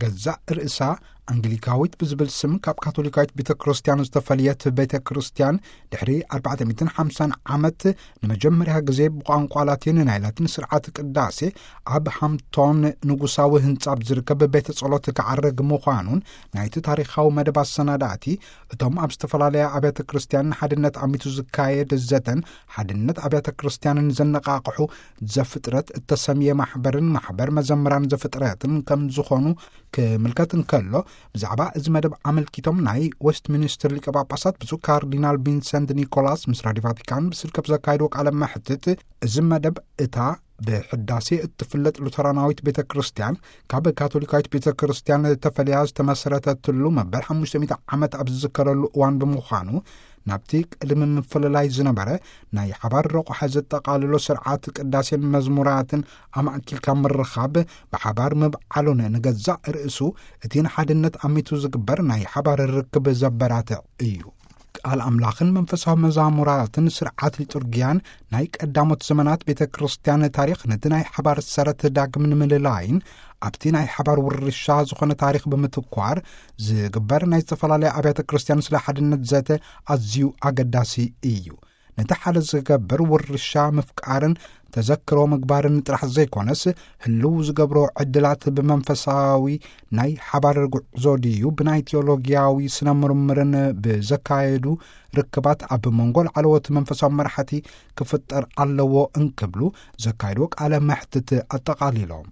ገዛእ ርእሳ ኣንግሊካዊት ብዝብል ስም ካብ ካቶሊካዊት ቤተ ክርስቲያን ዝተፈልየት ቤተ ክርስቲያን፣ ድሕሪ ኣርባዕተ ሚእትን ሓምሳን ዓመት ንመጀመርያ ግዜ ብቋንቋ ላቲን ናይ ላቲን ስርዓት ቅዳሴ ኣብ ሃምቶን ንጉሳዊ ህንጻ ኣብ ዝርከብ ቤተ ጸሎት ክዓርግ ምዃኑን፣ ናይቲ ታሪኻዊ መደብ ኣሰናዳእቲ፣ እቶም ኣብ ዝተፈላለያ ኣብያተ ክርስቲያን ንሓድነት ኣሚቱ ዝካየድ ዘተን ሓድነት ኣብያተ ክርስቲያንን ዘነቓቕሑ ዘፍጥረት እተሰምየ ማሕበርን ማሕበር መዘምራን ዘፍጥረትን ከም ዝኾኑ ክምልከት እንከሎ፣ ብዛዕባ እዚ መደብ ኣመልኪቶም ናይ ዌስት ሚኒስትር ሊቀ ጳጳሳት ብፁዕ ካርዲናል ቪንሰንት ኒኮላስ ምስ ራዲዮ ቫቲካን ብስልኪ ኣብ ዘካየድዎ ቃለ መሕትት፣ እዚ መደብ እታ ብሕዳሴ እትፍለጥ ሉተራናዊት ቤተ ክርስቲያን ካብ ካቶሊካዊት ቤተ ክርስቲያን ተፈልያ ዝተመሰረተትሉ መበል ሓሙሽተ ሚእቲ ዓመት ኣብ ዝዝከረሉ እዋን ብምዃኑ፣ ናብቲ ቅድሚ ምፍልላይ ዝነበረ ናይ ሓባር ረቑሓ ዘጠቓልሎ ስርዓት ቅዳሴን መዝሙራትን ኣማእኪልካ ምርኻብ፣ ብሓባር ምብዓሉን ንገዛእ ርእሱ እቲ ንሓድነት ኣሚቱ ዝግበር ናይ ሓባር ርክብ ዘበራትዕ እዩ። ቃል ኣምላኽን መንፈሳዊ መዛሙራትን ስርዓት ሊጡርጊያን ናይ ቀዳሞት ዘመናት ቤተ ክርስቲያን ታሪኽ ነቲ ናይ ሓባር ሰረት ዳግም ንምልላይን ኣብቲ ናይ ሓባር ውርሻ ዝኾነ ታሪኽ ብምትኳር ዝግበር ናይ ዝተፈላለያ ኣብያተ ክርስቲያን ስለ ሓድነት ዘተ ኣዝዩ ኣገዳሲ እዩ። ነቲ ሓደ ዝገብር ውርሻ ምፍቃርን ተዘክሮ ምግባርን ጥራሕ ዘይኮነስ፣ ህልው ዝገብሮ ዕድላት ብመንፈሳዊ ናይ ሓባር ጉዕዞ ድዩ ብናይ ቴዎሎጊያዊ ስነ ምርምርን ብዘካየዱ ርክባት ኣብ መንጎ ላዕለዎት መንፈሳዊ መራሕቲ ክፍጠር ኣለዎ እንክብሉ ዘካየድዎ ቃለ መሕትት ኣጠቓሊሎም።